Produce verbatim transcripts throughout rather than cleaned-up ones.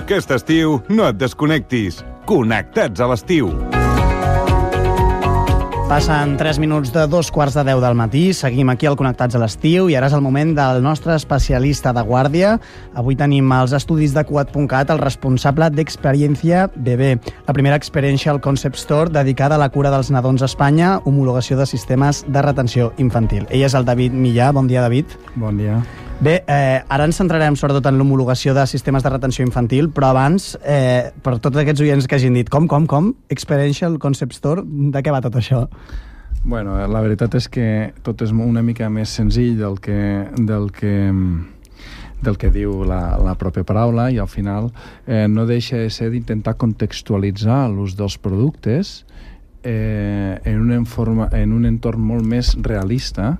Aquest estiu no et desconnectis. Connectats a l'estiu. Passen tres minuts de dos quarts de deu del matí, seguim aquí al Connectats a l'estiu i ara és el moment del nostre especialista de guàrdia. Avui tenim als estudis de Cuat punt cat el responsable d'Experiència Bebè, la primera Experiential Concept Store dedicada a la cura dels nadons a Espanya, homologació de sistemes de retenció infantil. Ell és el David Millà. Bon dia, David. Bon dia. Bé, eh, ara ens centrarem sobretot en l'homologació de sistemes de retenció infantil, però abans, eh, per tots aquests oients que hagin dit com, com, com, Experiential Concept Store, de què va tot això? Bueno, la veritat és que tot és una mica més senzill del que, del que, del que diu la, la pròpia paraula, i al final eh, no deixa de ser d'intentar contextualitzar l'ús dels productes eh, en, un informa, en un entorn molt més realista,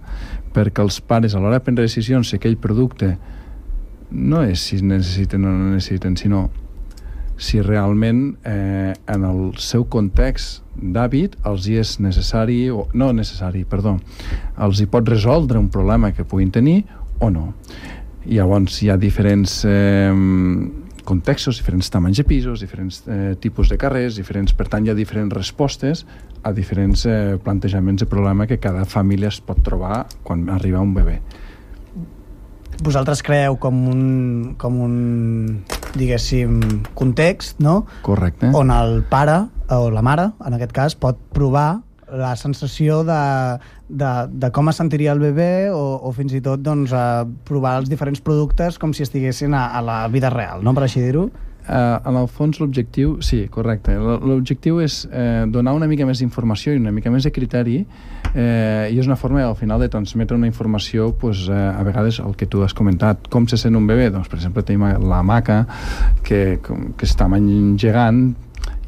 perquè els pares a l'hora de prendre decisions si aquell producte no és si necessiten o no necessiten, sinó si realment eh, en el seu context d'hàbit els hi és necessari, o no necessari, perdó, els hi pot resoldre un problema que puguin tenir o no. I llavors hi ha diferents eh, contextos, diferents tamanys de pisos, diferents eh, tipus de carrers, diferents, per tant hi ha diferents respostes a diferents eh, plantejaments de problema que cada família es pot trobar quan arriba un bebè. Vosaltres creeu com un, com un diguéssim, context, no? Correcte. On el pare, o la mare, en aquest cas, pot provar la sensació de, de, de com es sentiria el bebè o, o fins i tot doncs, a provar els diferents productes com si estiguessin a, a la vida real, no? Per així dir-ho. Uh, en el fons l'objectiu, sí, correcte, l'objectiu és eh, donar una mica més d'informació i una mica més de criteri eh, i és una forma al final de transmetre una informació pues, eh, a vegades el que tu has comentat, com se sent un bebè, doncs per exemple tenim la maca que, que és tamany gegant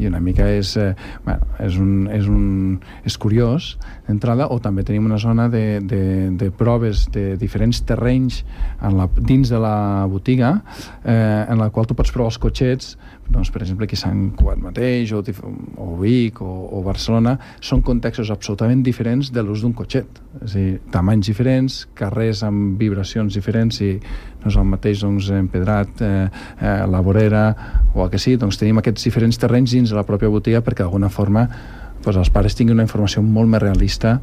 i una mica és, eh, bueno, és, un, és, un, és curiós d'entrada, o també tenim una zona de, de, de proves de diferents terrenys en la, dins de la botiga eh, en la qual tu pots provar els cotxets, doncs, per exemple aquí a Sant Cugat mateix o, o Vic o, o Barcelona, són contextos absolutament diferents de l'ús d'un cotxet, és a dir, tamanys diferents, carrers amb vibracions diferents, i no és el mateix doncs, empedrat, eh, eh, la vorera o el que sigui, doncs tenim aquests diferents terrenys dins de la pròpia botiga perquè d'alguna forma doncs, els pares tinguin una informació molt més realista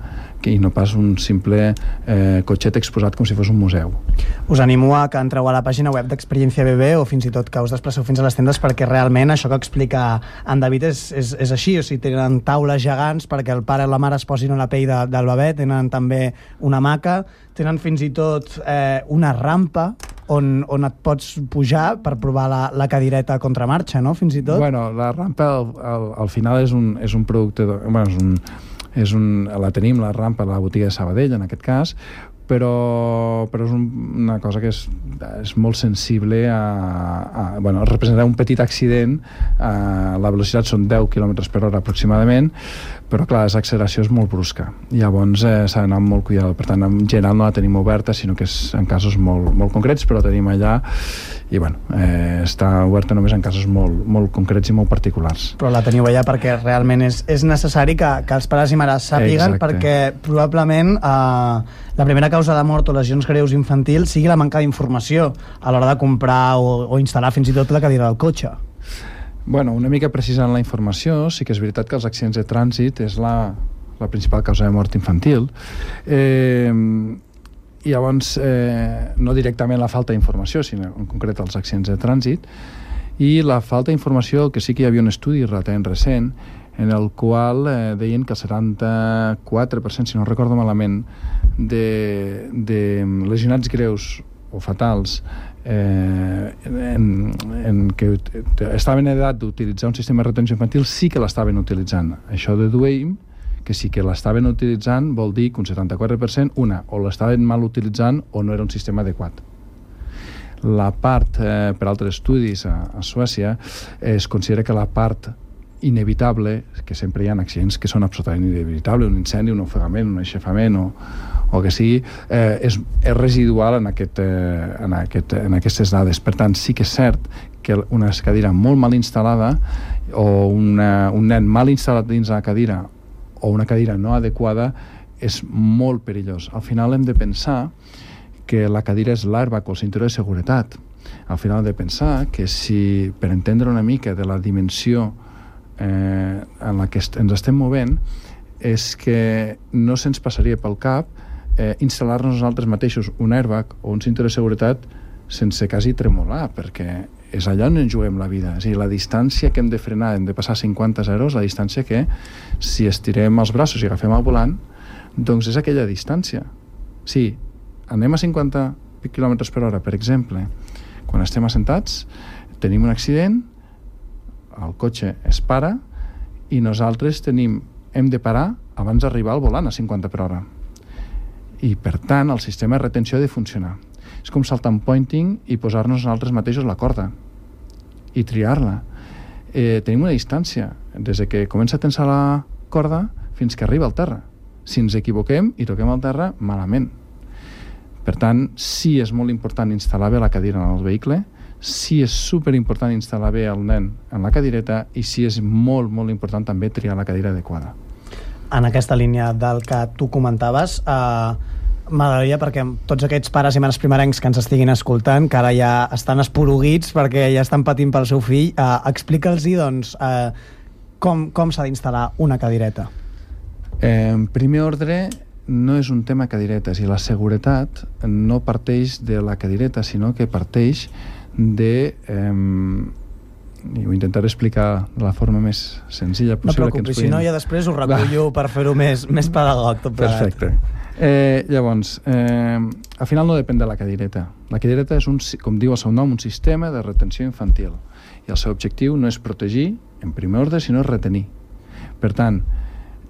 que, i no pas un simple eh, cotxet exposat com si fos un museu. Us animo a que entreu a la pàgina web d'Experiència Bebè o fins i tot que us desplaceu fins a les tendes, perquè realment això que explica en David és, és, és així, o sigui, tenen taules gegants perquè el pare i la mare es posin a la pell de, del bebè, tenen també una hamaca, tenen fins i tot eh, una rampa on, on et pots pujar per provar la, la cadireta a contramarxa, no? Fins i tot. Bueno, la rampa al, al, al final és un, és un producte de, bueno, és un, és un, la tenim, la rampa a la botiga de Sabadell en aquest cas, però, però és un, una cosa que és, és molt sensible a, a bueno, representar un petit accident. A, la velocitat són deu quilòmetres per hora aproximadament, però clar, l'acceleració és molt brusca, llavors eh, s'ha d'anar amb molt cuidado. Per tant, en general no la tenim oberta, sinó que és en casos molt, molt concrets, però la tenim allà i bueno, eh, està oberta només en casos molt, molt concrets i molt particulars. Però la teniu allà perquè realment és, és necessari que, que els pares i mares sàpiguen. Exacte. Perquè probablement eh, la primera causa de mort o lesions greus infantils sigui la manca d'informació a l'hora de comprar o, o instal·lar fins i tot la cadira del cotxe. Bueno, una mica precisant la informació, sí que és veritat que els accidents de trànsit és la, la principal causa de mort infantil. Eh, i llavors, eh, no directament la falta d'informació, sinó en concret els accidents de trànsit, i la falta d'informació, que sí que hi havia un estudi relativament recent, en el qual eh, deien que el setanta-quatre per cent, si no recordo malament, de, de lesionats greus o fatals eh, en, en que estaven en edat d'utilitzar un sistema de retenció infantil sí que l'estaven utilitzant. Això deduïm que sí que l'estaven utilitzant vol dir que un setanta-quatre per cent, una, o l'estaven mal utilitzant o no era un sistema adequat. La part, eh, per altres estudis a, a Suècia, es considera que la part inevitable, que sempre hi ha accidents que són absolutament inevitables, un incendi, un ofegament, un aixafament o, o que sigui, eh, és, és residual en, aquest, eh, en, aquest, en aquestes dades. Per tant, sí que és cert que una cadira molt mal instal·lada o una, un nen mal instal·lat dins la cadira o una cadira no adequada és molt perillós. Al final hem de pensar que la cadira és l'airbag o el cinturó de seguretat. Al final hem de pensar que si, per entendre una mica de la dimensió eh, en la que est ens estem movent, és que no se'ns passaria pel cap eh, instal·lar-nos nosaltres mateixos un airbag o un cinturó de seguretat sense quasi tremolar, perquè és allà on ens juguem la vida. És a dir, la distància que hem de frenar, hem de passar cinquanta zeros, la distància que, si estirem els braços i agafem el volant, doncs és aquella distància. Si anem a cinquanta quilòmetres per hora, per exemple, quan estem assentats, tenim un accident, el cotxe es para i nosaltres tenim, hem de parar abans d'arribar al volant a cinquanta per hora. I, per tant, el sistema de retenció ha de funcionar. És com saltar en pointing i posar-nos nosaltres mateixos la corda i triar-la. Eh, tenim una distància des que comença a tensar la corda fins que arriba al terra. Si ens equivoquem i toquem al terra, malament. Per tant, sí és molt important instal·lar bé la cadira en el vehicle, sí és superimportant instal·lar bé el nen en la cadireta i sí és molt, molt important també triar la cadira adequada. En aquesta línia del que tu comentaves, eh, m'agradaria, perquè tots aquests pares i mares primerencs que ens estiguin escoltant, que ara ja estan esporuguits perquè ja estan patint pel seu fill, eh, explica'ls-hi doncs, eh, com, com s'ha d'instal·lar una cadireta. Eh, en primer ordre, no és un tema cadiretes, i la seguretat no parteix de la cadireta, sinó que parteix de... Eh, i ho intentaré explicar de la forma més senzilla possible. No preocupis, si no ja després ho recullo per fer-ho més, més pedagog tot plegat. Perfecte. Eh, llavors, eh, al final no depèn de la cadireta. La cadireta és, un, com diu el seu nom, un sistema de retenció infantil. I el seu objectiu no és protegir, en primer ordre, sinó retenir. Per tant,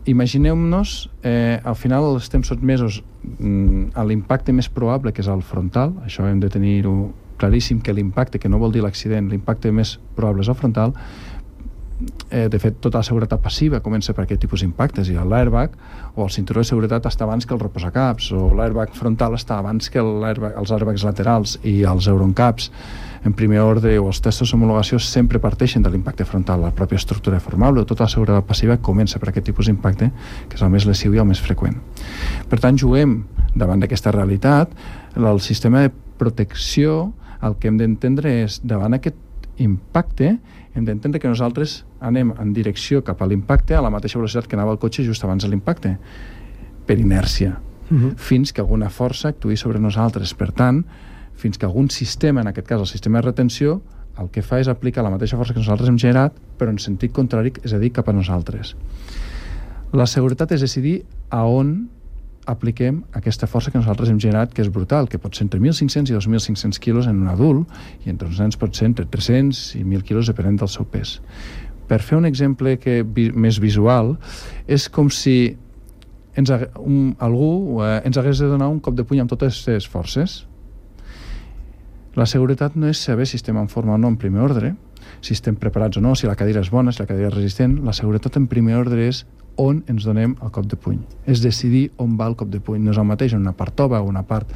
imagineu-nos, eh, al final estem sotmesos mm, a l'impacte més probable, que és el frontal. Això hem de tenir-ho claríssim, que l'impacte, que no vol dir l'accident, l'impacte més probable és el frontal. Eh, de fet, tota la seguretat passiva comença per aquest tipus d'impactes, i l'airbag o el cinturó de seguretat està abans que el reposacaps, o l'airbag frontal està abans que els airbags laterals, i els Eurocaps en primer ordre o els testos d'homologació sempre parteixen de l'impacte frontal. La pròpia estructura formable o tota la seguretat passiva comença per aquest tipus d'impacte, que és el més lesiu i el més freqüent. Per tant, juguem davant d'aquesta realitat. El sistema de protecció, el que hem d'entendre és, davant aquest impacte, hem d'entendre que nosaltres anem en direcció cap a l'impacte a la mateixa velocitat que anava el cotxe just abans de l'impacte, per inèrcia, uh-huh. fins que alguna força actuï sobre nosaltres. Per tant, fins que algun sistema, en aquest cas el sistema de retenció, el que fa és aplicar la mateixa força que nosaltres hem generat, però en sentit contrari, és a dir, cap a nosaltres. La seguretat és decidir a on apliquem aquesta força que nosaltres hem generat, que és brutal, que pot ser entre mil cinc-cents i dos mil cinc-cents quilos en un adult, i entre uns nens pot ser entre tres-cents i mil quilos, depenent del seu pes. Per fer un exemple que, vi, més visual, és com si ens, un, algú eh, ens hagués de donar un cop de puny amb totes les forces. La seguretat no és saber si estem en forma o no en primer ordre, si estem preparats o no, si la cadira és bona, si la cadira és resistent. La seguretat en primer ordre és on ens donem el cop de puny. És decidir on va el cop de puny. No és el mateix en una part tova o una part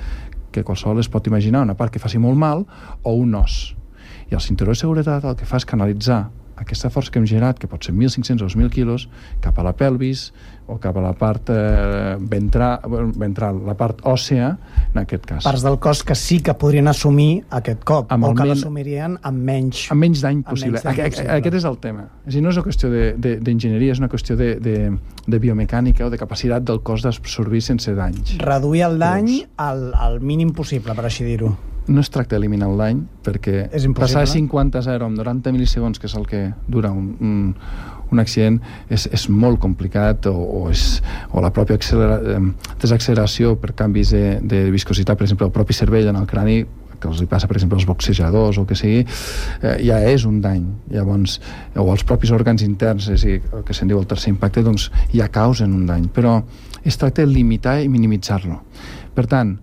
que qualsevol es pot imaginar, una part que faci molt mal, o un os. I el cinturó de seguretat el que fa és canalitzar aquesta força que hem generat, que pot ser mil cinc-cents o dos mil quilos, cap a la pelvis o cap a la part eh, ventral, ventral, la part òssea, en aquest cas. Parts del cos que sí que podrien assumir aquest cop, amb o que men... l'assumirien amb menys... Amb menys dany possible. Menys dany possible. Aquest és el tema. És a dir, no és una qüestió d'enginyeria, és una qüestió de, de, de biomecànica o de capacitat del cos d'absorbir sense danys. Reduir el dany al, al mínim possible, per així dir-ho. No es tracta d'eliminar el dany, perquè passar de cinquanta a zero amb noranta mil·lisegons, que és el que dura un, un, un accident, és, és molt complicat, o, o, és, o la pròpia accelera, desacceleració per canvis de, de viscositat, per exemple, el propi cervell en el crani, que els passa, per exemple, als boxejadors o el que sigui, eh, ja és un dany. Llavors, o els propis òrgans interns, és a dir, el que se'n diu el tercer impacte, doncs ja causen un dany. Però es tracta de limitar i minimitzar-lo. Per tant,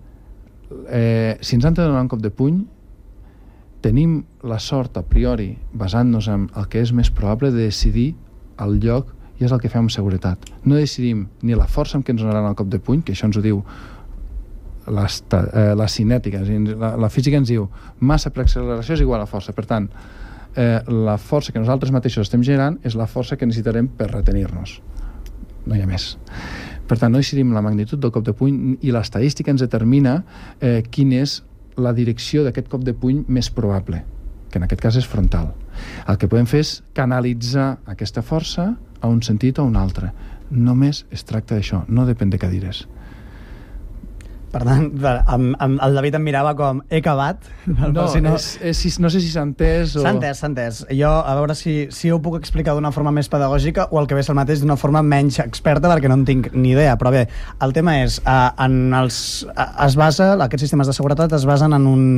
Eh, si ens han de donar un cop de puny, tenim la sort a priori, basant-nos en el que és més probable, de decidir el lloc, i és el que fem amb seguretat. No decidim ni la força amb què ens donaran el cop de puny, que això ens ho diu la, eh, la cinètica, la, la física ens diu massa per acceleració és igual a força. Per tant, eh, la força que nosaltres mateixos estem generant és la força que necessitarem per retenir-nos. No hi ha més. Per tant, no decidim la magnitud del cop de puny, i l'estadística ens determina eh, quina és la direcció d'aquest cop de puny més probable, que en aquest cas és frontal. El que podem fer és canalitzar aquesta força a un sentit o a un altre. Només es tracta d'això, no depèn de cadires. Per tant, amb, amb el David em mirava com he acabat. No, si no... És, és, no sé si s'ha entès o... S'ha entès, s'ha entès. Jo, a veure si, si ho puc explicar d'una forma més pedagògica o el que ve és el mateix d'una forma menys experta, perquè no en tinc ni idea. Però bé, el tema és, eh, en els, eh, es basa, aquests sistemes de seguretat es basen en, un,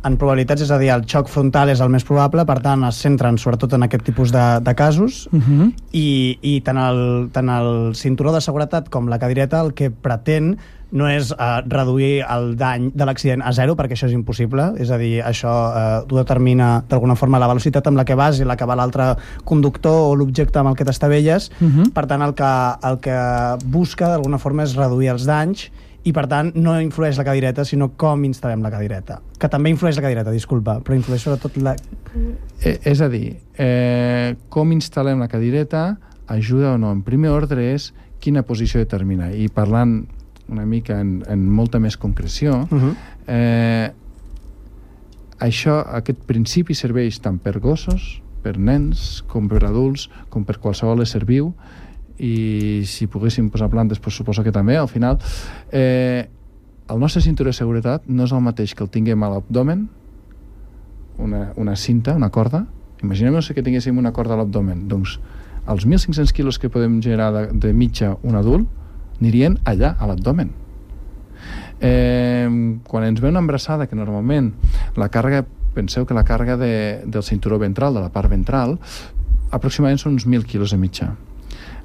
en probabilitats, és a dir, el xoc frontal és el més probable, per tant es centren sobretot en aquest tipus de, de casos, uh-huh. i, i tant, el, tant el cinturó de seguretat com la cadireta el que pretén no és uh, reduir el dany de l'accident a zero, perquè això és impossible, és a dir, això uh, ho determina d'alguna forma la velocitat amb la que vas i la que va l'altre conductor o l'objecte amb el que t'estavelles. Uh-huh. Per tant, el que, el que busca d'alguna forma és reduir els danys i, per tant, no influeix la cadireta, sinó com instal·lem la cadireta. Que també influeix la cadireta, disculpa, però influeix sobretot la... Eh, és a dir, eh, com instal·lem la cadireta ajuda o no. En primer ordre és quina posició determina. I parlant una mica en, en molta més concreció, uh-huh. eh, això, aquest principi serveix tant per gossos, per nens, com per adults, com per qualsevol ésser viu, i si poguéssim posar plantes, pues, suposo que també, al final. Eh, el nostre cinturó de seguretat no és el mateix que el tinguem a l'abdomen, una, una cinta, una corda. Imaginem-nos que tinguéssim una corda a l'abdomen. Doncs els mil cinc-cents quilos que podem generar de, de mitja un adult anirien allà, a l'abdomen. Eh, quan ens ve una embarassada, que normalment la càrrega, penseu que la càrrega de, del cinturó ventral, de la part ventral, aproximadament són uns mil quilos de mitja.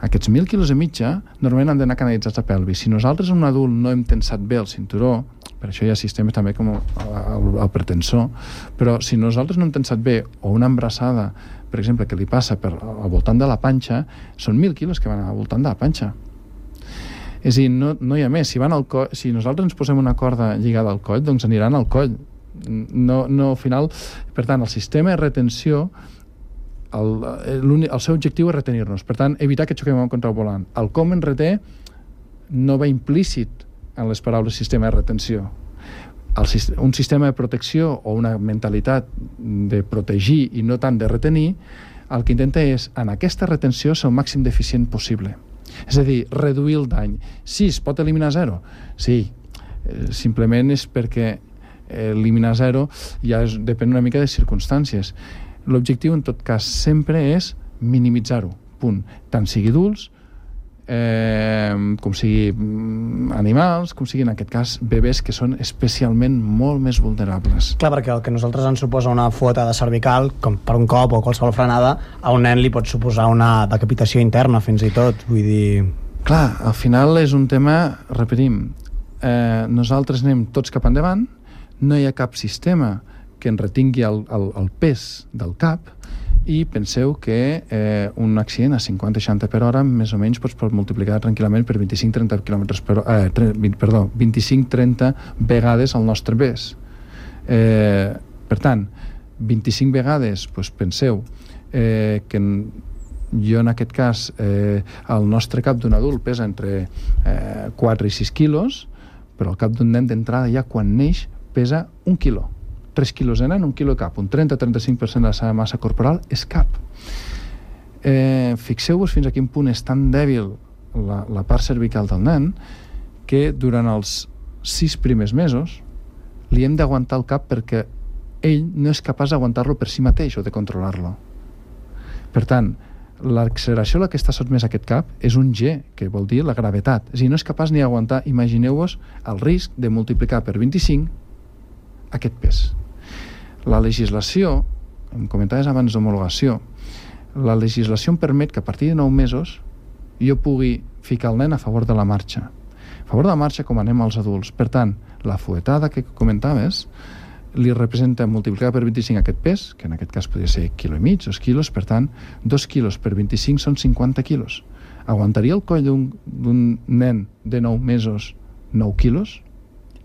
Aquests mil quilos de mitja normalment han d'anar canalitzats a pelvis. Si nosaltres, un adult, no hem tensat bé el cinturó, per això hi ha sistemes també com el, el, el pretensor, però si nosaltres no hem tensat bé, o una embarassada, per exemple, que li passa per, al voltant de la panxa, són mil quilos que van al voltant de la panxa. És a dir, no, no hi ha més. Si, van al coll, si nosaltres ens posem una corda lligada al coll, doncs aniran al coll. No, no, al final, per tant, el sistema de retenció, el, el seu objectiu és retenir-nos. Per tant, evitar que xoquem contra el volant. El com ens reté no va implícit en les paraules sistema de retenció. El, un sistema de protecció o una mentalitat de protegir i no tant de retenir, el que intenta és, en aquesta retenció, ser el màxim d'eficient possible. És a dir, reduir el dany. Sí, es pot eliminar zero? Sí. Eh, simplement és perquè eliminar zero ja és, depèn una mica de circumstàncies. L'objectiu, en tot cas, sempre és minimitzar-ho. Punt. Tant sigui adults, eh, com sigui animals, com sigui, en aquest cas, bebès que són especialment molt més vulnerables. Clar, perquè el que a nosaltres ens suposa una fuetada cervical, com per un cop o qualsevol frenada, a un nen li pot suposar una decapitació interna, fins i tot. Vull dir... Clar, al final és un tema, repetim, eh, nosaltres anem tots cap endavant, no hi ha cap sistema que en retingui el, el, el pes del cap, i penseu que eh, un accident a cinquanta seixanta per hora més o menys pots multiplicar tranquil·lament per vint-i-cinc trenta quilòmetres per hora, eh, vint, perdó, vint-i-cinc trenta vegades el nostre pes. Eh, per tant, vint-i-cinc vegades, doncs penseu eh, que jo en aquest cas eh, el nostre cap d'un adult pesa entre eh, quatre i sis quilos, però el cap d'un nen d'entrada ja quan neix pesa un quilo. tres quilos de nen, un quilo de cap, un trenta a trenta-cinc per cent de la seva massa corporal és cap. Eh, fixeu-vos fins a quin punt és tan dèbil la, la part cervical del nen que durant els sis primers mesos li hem d'aguantar el cap perquè ell no és capaç d'aguantar-lo per si mateix o de controlar-lo. Per tant, l'acceleració a la que està sotmès aquest cap és un G, que vol dir la gravetat. És a dir, no és capaç ni d'aguantar, imagineu-vos el risc de multiplicar per vint-i-cinc aquest pes. La legislació, em comentaves abans d'homologació, la legislació em permet que a partir de nou mesos jo pugui ficar el nen a favor de la marxa. A favor de la marxa com anem als adults. Per tant, la fuetada que comentaves li representa multiplicar per vint-i-cinc aquest pes, que en aquest cas podria ser quilo i mig, dos quilos, per tant, dos quilos per vint-i-cinc són cinquanta quilos. Aguantaria el coll d'un nen de nou mesos nou quilos?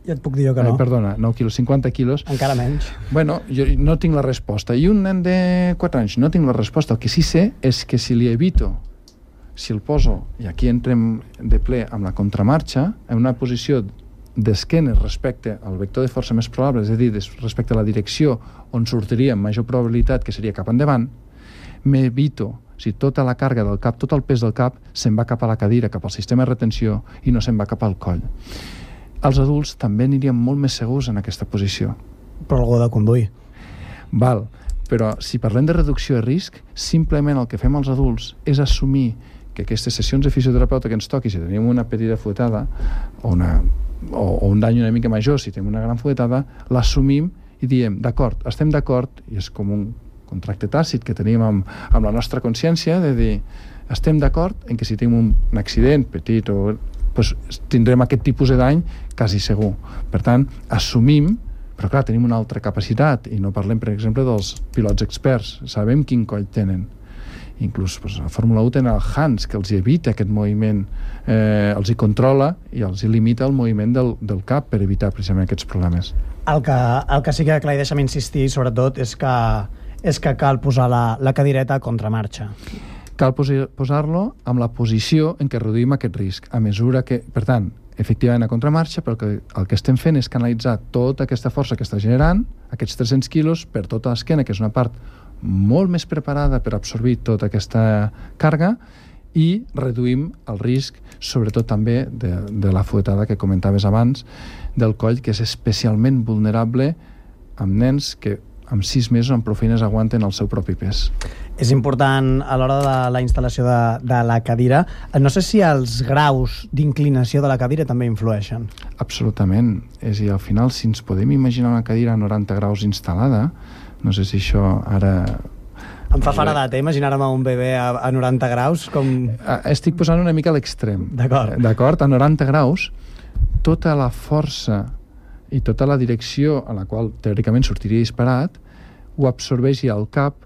Ja et puc dir jo que no. Ai, perdona, nou quilos, cinquanta quilos. Encara menys. Bueno, jo no tinc la resposta. I un nen de quatre anys no tinc la resposta. El que sí sé és que si li evito, si el poso, i aquí entrem de ple amb la contramarxa, en una posició d'esquenes respecte al vector de força més probable, és a dir, respecte a la direcció on sortiria amb major probabilitat, que seria cap endavant, m'evito, si tota la càrrega del cap, tot el pes del cap, se'n va cap a la cadira, cap al sistema de retenció, i no se'n va cap al coll. Els adults també anirien molt més segurs en aquesta posició. Però algú de conduir. Val, però si parlem de reducció de risc, simplement el que fem els adults és assumir que aquestes sessions de fisioterapeuta que ens toqui, si tenim una petita fuetada o, una, o, o un dany una mica major, si tenim una gran fuetada, l'assumim i diem, d'acord, estem d'acord, i és com un contracte tàcit que tenim amb, amb la nostra consciència, de dir, estem d'acord en que si tenim un, un accident petit o, doncs, tindrem aquest tipus de dany quasi segur. Per tant, assumim, però clar, tenim una altra capacitat, i no parlem, per exemple, dels pilots experts, sabem quin coll tenen. Inclús doncs, a Fórmula u tenen el Hans, que els evita aquest moviment, eh, els hi controla i els hi limita el moviment del, del cap per evitar precisament aquests problemes. El que, el que sí que, clar, i deixa'm insistir, sobretot, és que, és que cal posar la, la cadireta a contramarxa. Cal posi- posar-lo amb la posició en què reduïm aquest risc, a mesura que, per tant, efectivament a contramarxa, però que el que estem fent és canalitzar tota aquesta força que està generant, aquests tres-cents quilos, per tota l'esquena, que és una part molt més preparada per absorbir tota aquesta càrrega, i reduïm el risc, sobretot també de, de la fuetada que comentaves abans, del coll, que és especialment vulnerable amb nens que amb sis mesos amb prou feines aguanten el seu propi pes. És important a l'hora de la instal·lació de, de la cadira. No sé si els graus d'inclinació de la cadira també influeixen. Absolutament. És a dir, al final, si ens podem imaginar una cadira a noranta graus instal·lada, no sé si això ara... Em fa faradat, eh? Imaginar-me un bebè a, a noranta graus com... Estic posant una mica a l'extrem. D'acord. D'acord? A noranta graus, tota la força i tota la direcció a la qual teòricament sortiria disparat ho absorbeix al cap,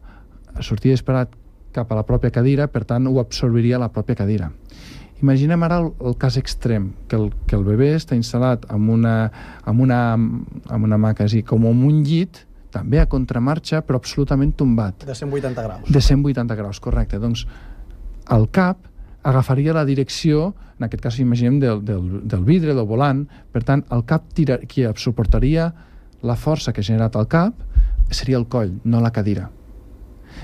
sortiria disparat cap a la pròpia cadira, per tant ho absorbiria la pròpia cadira. Imaginem ara el, el cas extrem, que el, que el bebè està instal·lat amb una, amb una, amb una maca, és a dir, com en un llit, també a contramarxa, però absolutament tombat. De cent vuitanta graus. De cent vuitanta graus, correcte. Doncs el cap agafaria la direcció, en aquest cas imaginem del, del, del vidre, del volant, per tant, el cap tira, qui suportaria la força que ha generat el cap seria el coll, no la cadira.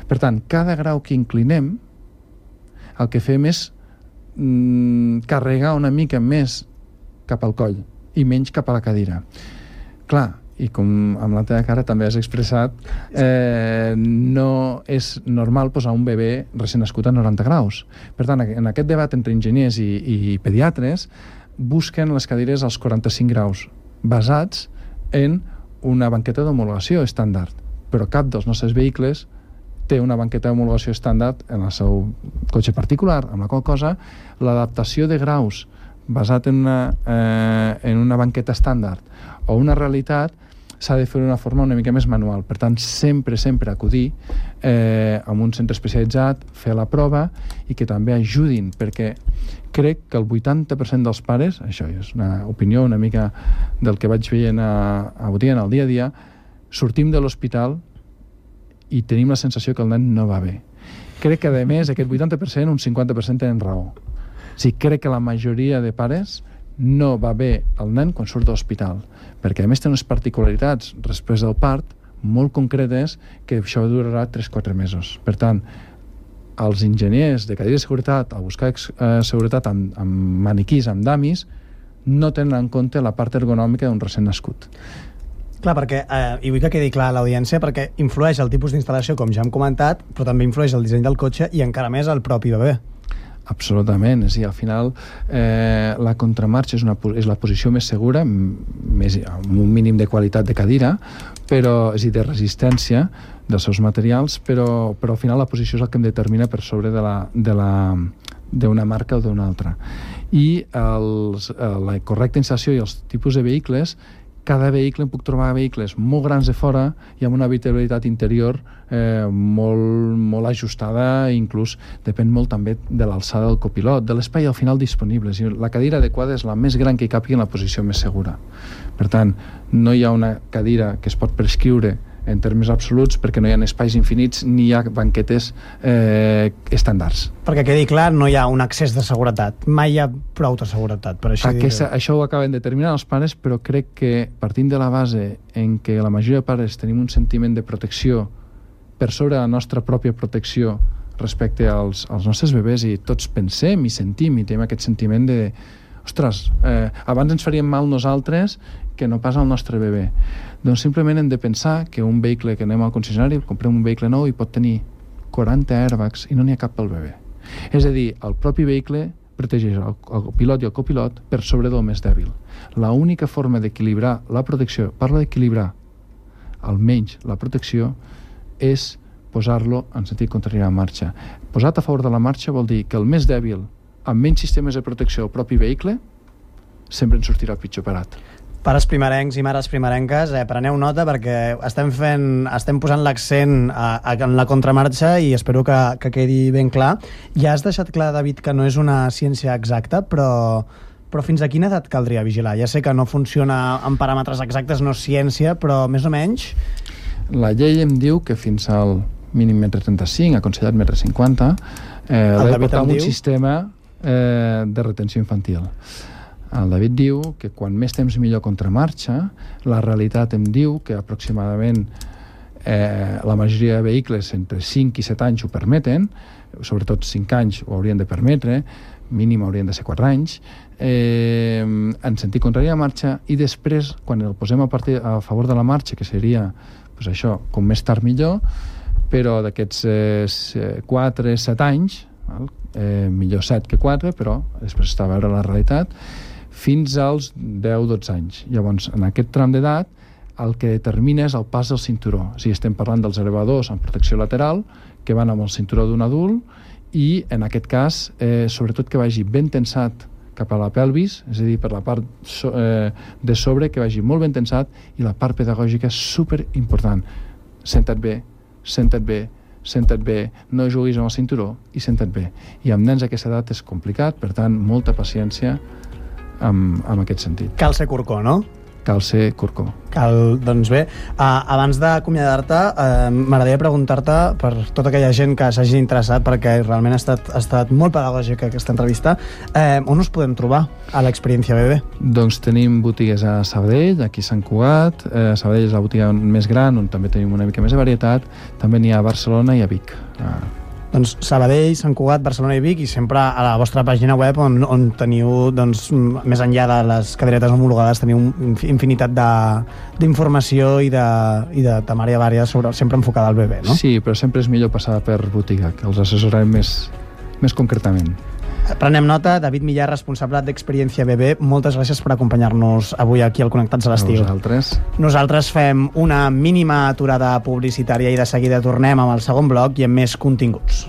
Per tant, cada grau que inclinem, el que fem és mm, carregar una mica més cap al coll i menys cap a la cadira. Clar, i com amb la teva cara també has expressat, eh, no és normal posar un bebè recent nascut a noranta graus. Per tant, en aquest debat entre enginyers i, i pediatres, busquen les cadires als quaranta-cinc graus, basats en una banqueta d'homologació estàndard. Però cap dels nostres vehicles té una banqueta d'homologació estàndard en el seu cotxe particular, amb la qual cosa l'adaptació de graus basat en una, eh, en una banqueta estàndard o una realitat s'ha de fer d'una forma una mica més manual. Per tant, sempre, sempre acudir eh, a un centre especialitzat, fer la prova i que també ajudin, perquè crec que el vuitanta per cent dels pares, això és una opinió una mica del que vaig veient a, a botiga en el dia a dia, sortim de l'hospital i tenim la sensació que el nen no va bé. Crec que, a més, aquest vuitanta per cent, un cinquanta per cent tenen raó. O sigui, crec que la majoria de pares no va bé el nen quan surt de l'hospital, perquè a més té unes particularitats després del part molt concretes que això durarà tres a quatre mesos. Per tant, els enginyers de cadira de seguretat, al buscar eh, seguretat amb, amb maniquís, amb damis, no tenen en compte la part ergonòmica d'un recent nascut. Clar, perquè, eh, i vull que quedi clar a l'audiència, perquè influeix el tipus d'instal·lació, com ja hem comentat, però també influeix el disseny del cotxe i encara més el propi bebè. Absolutament, és a dir, al final eh, la contramarxa és, una, és la posició més segura, més, amb un mínim de qualitat de cadira, però, és a dir, de resistència dels seus materials, però, però al final la posició és el que em determina per sobre de la, de la, d'una marca o d'una altra. I els, la correcta instal·lació i els tipus de vehicles, cada vehicle em puc trobar vehicles molt grans de fora i amb una habitabilitat interior eh, molt, molt ajustada, inclús depèn molt també de l'alçada del copilot, de l'espai al final disponible. La cadira adequada és la més gran que hi càpiga en la posició més segura. Per tant, no hi ha una cadira que es pot prescriure en termes absoluts, perquè no hi ha espais infinits ni hi ha banquetes eh, estàndards. Perquè quedi clar, no hi ha un excés de seguretat. Mai hi ha prou de seguretat, per així Aquesta, dir-ho. això ho acaben determinant els pares, però crec que partint de la base en què la majoria de pares tenim un sentiment de protecció per sobre la nostra pròpia protecció respecte als, als nostres bebès, i tots pensem i sentim i tenim aquest sentiment de ostres, eh, abans ens faríem mal nosaltres que no pas al nostre bebè. Doncs simplement hem de pensar que un vehicle que anem al concessionari, comprem un vehicle nou i pot tenir quaranta airbags i no n'hi ha cap pel bebè. És a dir, el propi vehicle protegeix el, el pilot i el copilot per sobre del més dèbil. La única forma d'equilibrar la protecció, parlo d'equilibrar almenys la protecció, és posar-lo en sentit contrari a la marxa. Posat a favor de la marxa vol dir que el més dèbil, amb menys sistemes de protecció al propi vehicle, sempre en sortirà pitjor parat. Pares primerencs i mares primerenques, eh, preneu nota perquè estem fent, estem posant l'accent a, a, en la contramarxa i espero que, que quedi ben clar. Ja has deixat clar, David, que no és una ciència exacta, però, però fins a quina edat caldria vigilar? Ja sé que no funciona en paràmetres exactes, no és ciència, però més o menys... La llei em diu que fins al mínim metre trenta-cinc, aconsellat metre cinquanta, eh, l'he de portar amb un sistema eh, de retenció infantil. El David diu que quan més temps millor contramarxa, la realitat em diu que aproximadament eh, la majoria de vehicles entre cinc i set anys ho permeten, sobretot cinc anys ho haurien de permetre, mínim haurien de ser quatre anys, eh, en sentit contrari a marxa, i després, quan el posem a, partir, a favor de la marxa, que seria pues això, com més tard millor, però d'aquests eh, quatre a set anys, val? Eh, millor set que quatre, però després està a veure la realitat, fins als deu a dotze anys. Llavors, en aquest tram d'edat, el que determina és el pas del cinturó. O sigui, estem parlant dels elevadors amb protecció lateral, que van amb el cinturó d'un adult, i en aquest cas, eh, sobretot que vagi ben tensat cap a la pelvis, és a dir, per la part so, eh, de sobre, que vagi molt ben tensat, i la part pedagògica és super important. Senta't bé, senta't bé, senta't bé, no juguis amb el cinturó i senta't bé. I amb nens a aquesta edat és complicat, per tant, molta paciència amb, amb aquest sentit. Cal ser corcó, no? Cal ser corcó. Cal, doncs bé, uh, abans d'acomiadar-te, uh, m'agradaria preguntar-te per tota aquella gent que s'hagi interessat, perquè realment ha estat, ha estat molt pedagògica aquesta entrevista, uh, on us podem trobar a l'Experiència Bebè? Doncs tenim botigues a Sabadell, aquí a Sant Cugat, eh, Sabadell és la botiga més gran, on també tenim una mica més de varietat, també n'hi ha a Barcelona i a Vic. Uh, Doncs Sabadell, Sant Cugat, Barcelona i Vic, i sempre a la vostra pàgina web on, on teniu, doncs, més enllà de les cadeiretes homologades, teniu infinitat d'informació i de, i de temària vària sobre, sempre enfocada al bebè, no? Sí, però sempre és millor passar per botiga, que els assessorem més, més concretament. Prenem nota. David Millar, responsable d'Experiència Bebè, moltes gràcies per acompanyar-nos avui aquí al Connectats a l'estiu. Nosaltres. Nosaltres fem una mínima aturada publicitària i de seguida tornem amb el segon bloc i amb més continguts.